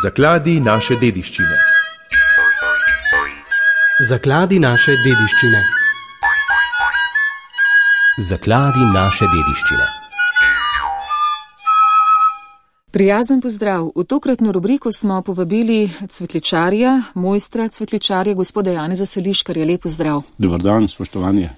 Zakladi naše dediščine. Zakladi naše dediščine. Zakladi naše dediščine. Prijazen pozdrav. V tokratno rubriko smo povabili cvetličarja, mojstra cvetličarja, gospoda Janeza Seliškarja. Lep pozdrav. Dobar dan, spoštovanje.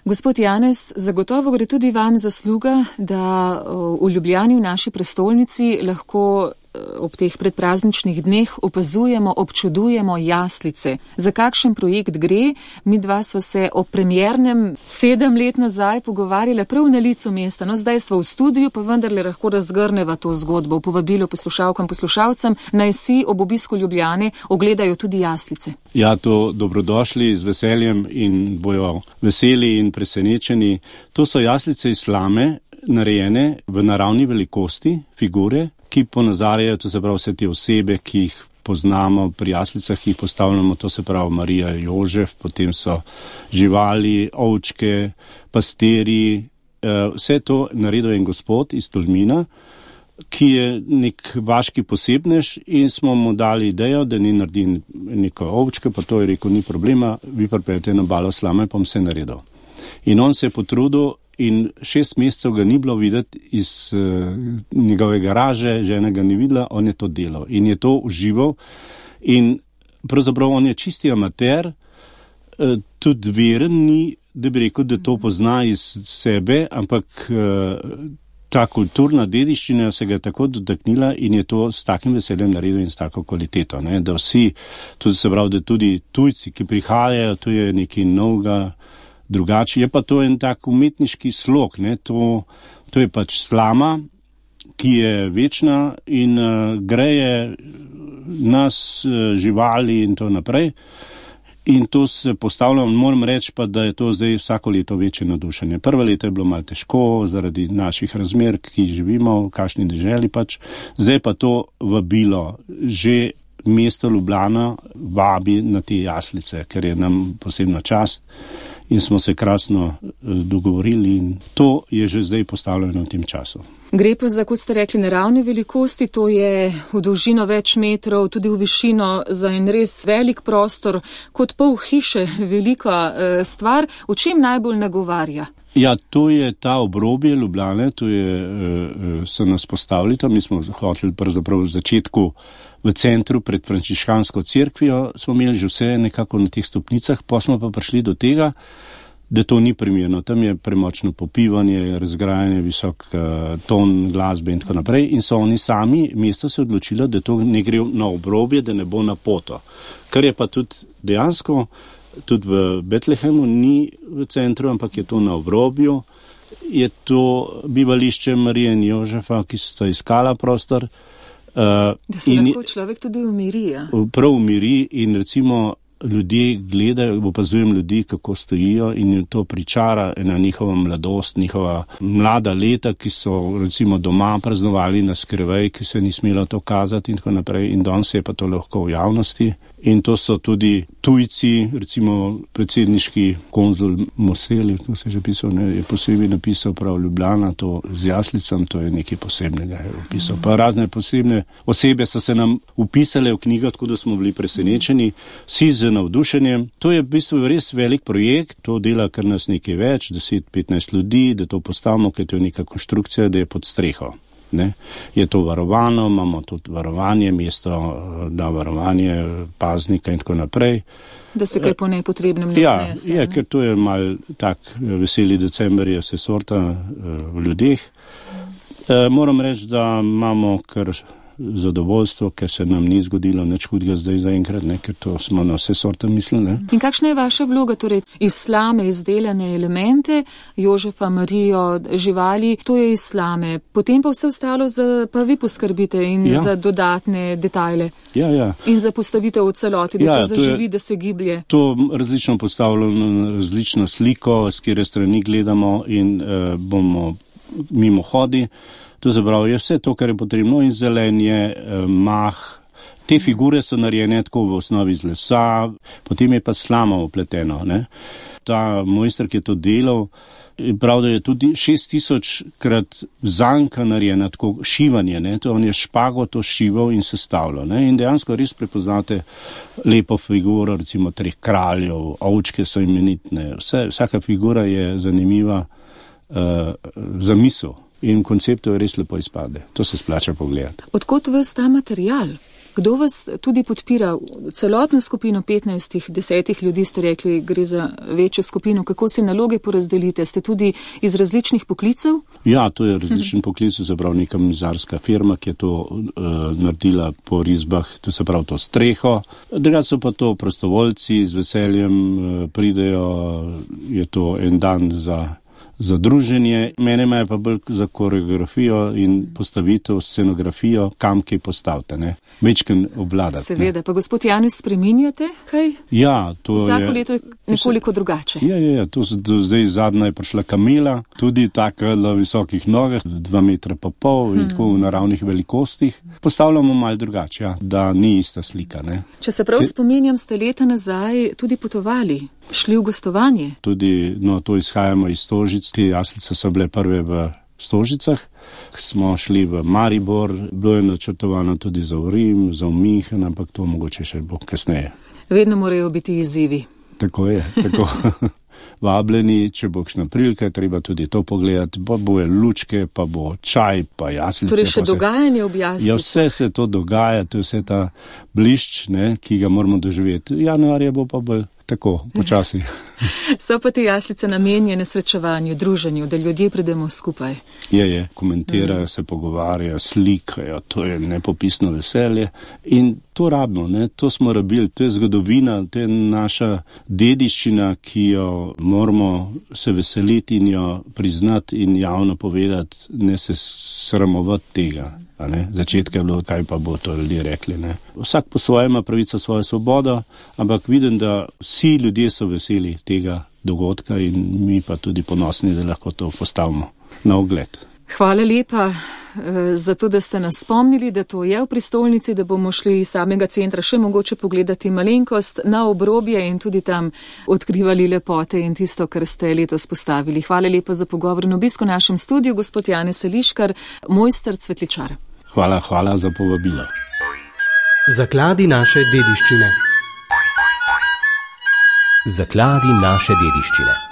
Gospod Janez, zagotovo gre tudi vam zasluga, da v Ljubljani, v naši prestolnici, lahko ob teh predprazničnih dneh opazujemo, občudujemo jaslice. Za kakšen projekt gre? Mi dva sva se o premiernem 7 let nazaj pogovarjala prav na licu mesta. No, zdaj sva v studiu, pa vendarle lahko razgrneva to zgodbo. Povabilo poslušalkam, poslušalcem, naj si ob obisku Ljubljane ogledajo tudi jaslice. Ja, to dobrodošli z veseljem in bojo veseli in presenečeni. To so jaslice iz slame, narejene v naravni velikosti, figure, ki ponazarjajo, to se pravi vse te osebe, ki jih poznamo pri jaslicah, ki jih postavljamo, to se pravi Marija, Jožef, potem so živali, ovčke, pasteri, vse to naredil en gospod iz Tolmina, ki je nek vaški posebnež in smo mu dali idejo, da ni naredil neko ovčke, pa to je rekel, ni problema, vi pripeljete na balo slame, pa bom vse naredil. In on se je potrudil in 6 mesecev ga ni bilo videti iz njegove garaže, žena ga ni videla, on je to delal in je to užival in pravzaprav on je čisti amater, tudi veren ni, da bi rekel, da to pozna iz sebe, ampak ta kulturna dediščina se ga je tako dotaknila in je to s takim veseljem naredil in s tako kvaliteto, ne? Da vsi, tudi se pravi, da tudi tujci, ki prihajajo, to je nekaj novega, drugače. Je pa to en tak umetniški slog, ne? To je pač slama, ki je večna in greje nas, živali in to naprej. In to se postavljam, moram reči pa, da je to zdaj vsako leto večje navdušenje. Prvo leto je bilo malo težko zaradi naših razmer, ki živimo, v kakšni deželi pač. Zdaj pa to vabilo, že mesto Ljubljana vabi na te jaslice, ker je nam posebna čast. In smo se krasno dogovorili in to je že zdaj postavljeno v tem času. Gre pa za, kot ste rekli, naravne velikosti, to je v dolžino več metrov, tudi v višino za en res velik prostor, kot pol hiše, velika stvar. V čem najbolj nagovarja? Ja, to je ta obrobje Ljubljane, to je, so nas postavili tam, mi smo hoteli pravzaprav v začetku v centru pred frančiškansko cerkvijo, smo imeli že vse nekako na teh stopnicah, pa smo pa prišli do tega, da to ni primerno. Tam je premočno popivanje, razgrajanje, visok ton glasbe in tako naprej in so oni sami, mesto se odločilo, da to ne gre na obrobje, da ne bo na poto. Kar je pa tudi dejansko, tudi v Betlehemu ni v centru, ampak je to na obrobju, je to bivališče Marije in Jožefa, ki sta iskala prostor. Da se lahko človek tudi umiri, ja? Prav umiri in recimo ljudje gledajo, opazujem ljudi, kako stojijo in to pričara ena njihova mladost, njihova mlada leta, ki so recimo doma praznovali na skrivaj, ki se ni smelo to kazati in tako naprej in danes je pa to lahko v javnosti. In to so tudi tujci, recimo predsedniški konzul Moseli, to se je že pisal, ne, je posebej napisal prav Ljubljana, to z jaslicam, to je nekaj posebnega je opisal. Pa razne posebne osebe so se nam upisale v knjigo, tako da smo bili presenečeni, vsi z navdušenjem. To je v bistvu res velik projekt, to dela kar nas nekaj več, 10-15 ljudi, da to postavimo, ker to je neka konstrukcija, da je pod streho. Ne? Je to varovano, imamo tudi varovanje, mesto da varovanje paznika in tako naprej. Da se kaj po nepotrebnem ne odnese. Ja, ker to je mal tak veseli december, je vse sorta v ljudeh. Moram reči, da imamo kar zadovoljstvo, ker se nam ni zgodilo nič hudega zdaj zaenkrat, ker to smo na vse sorte mislili. Ne? In kakšna je vaša vloga, torej iz slame izdelane elemente, Jožefa, Marijo, živali, to je iz slame, potem pa vse ostalo pa vi poskrbite in za dodatne detajle. Ja. In za postavitev v celoti, da to zaživi, da se giblje. To različno postavljeno, različno sliko, s kire strani gledamo in bomo mimo hodi. To se pravi, je vse to, kar je potrebno in zelenje, mah. Te figure so narejene tako v osnovi iz lesa, potem je pa slama opleteno, ne. ta mojster, ki je to delal, je prav, da je tudi 6000krat zanka narejena, tako šivanje, ne, to on je špago to šival in sestavljal, ne, in dejansko res prepoznate lepo figuro, recimo 3 kraljev, ovčke so imenitne, vsaka figura je zanimiva za misel in konceptov res lepo izpade. To se splača pogledati. Odkot vas ta material? Kdo vas tudi podpira? Celotno skupino 15-10 ljudi ste rekli, gre za večjo skupino. Kako si naloge porazdelite? Ste tudi iz različnih poklicev? Ja, to je različni poklic, se pravi neka mizarska firma, ki je to naredila po risbah, to se pravi to streho. Drugače so pa to prostovoljci, z veseljem pridejo, je to en dan za druženje. Mene imajo pa bolj za koreografijo in postavitev, scenografijo, kam kaj postavite, ne. Večkrat obvladati. Seveda, pa gospod Janez, spreminjate kaj? Ja, to vsako leto je nekoliko drugače. Ja, to se zdaj zadnja je prišla kamela, tudi taka na visokih nogah, 2,5 metra in tako v naravnih velikostih. Postavljamo malo drugače, ja, da ni ista slika, ne. Če se prav spominjam, ste leta nazaj tudi potovali, šli v gostovanje. Tudi, to izhajamo iz Stožic, te jaslice so bile prve v Stožicah. Smo šli v Maribor, bilo je načrtovano tudi za Rim, za München, ampak to mogoče še bo kasneje. Vedno morajo biti izzivi. Tako je, tako. Vabljeni, če bo kakšna prilika, treba tudi to pogledati, pa bo lučke, pa bo čaj, pa jaslice. Torej še dogajanje ob jaslice. Ja, vse se to dogaja, to je vse ta blišč, ne, ki ga moramo doživeti. Januarja bo pa bolj tako, počasi. So pa te jaslice namenjene srečevanju, druženju, da ljudje pridemo skupaj. Je, komentirajo, se pogovarjajo, slikajo, to je nepopisno veselje in to rabimo, ne, to smo rabili, to je zgodovina, to je naša dediščina, ki jo moramo se veseliti in jo priznati in javno povedati, ne se sramovati tega. Začetka je bilo, kaj pa bo to ljudje rekli. Ne. Vsak po svojem ima pravico svojo svobodo, ampak vidim, da vsi ljudje so veseli tega dogodka in mi pa tudi ponosni, da lahko to postavimo na ogled. Hvala lepa za to, da ste nas spomnili, da to je v prestolnici, da bomo šli iz samega centra še mogoče pogledati malenkost na obrobje in tudi tam odkrivali lepote in tisto, kar ste letos postavili. Hvala lepa za pogovor in obisk v našem studiu, gospod Janez Seliškar, mojster cvetličar. Hvala za povabilo. Zakladi naše dediščine. Zakladi naše dediščine.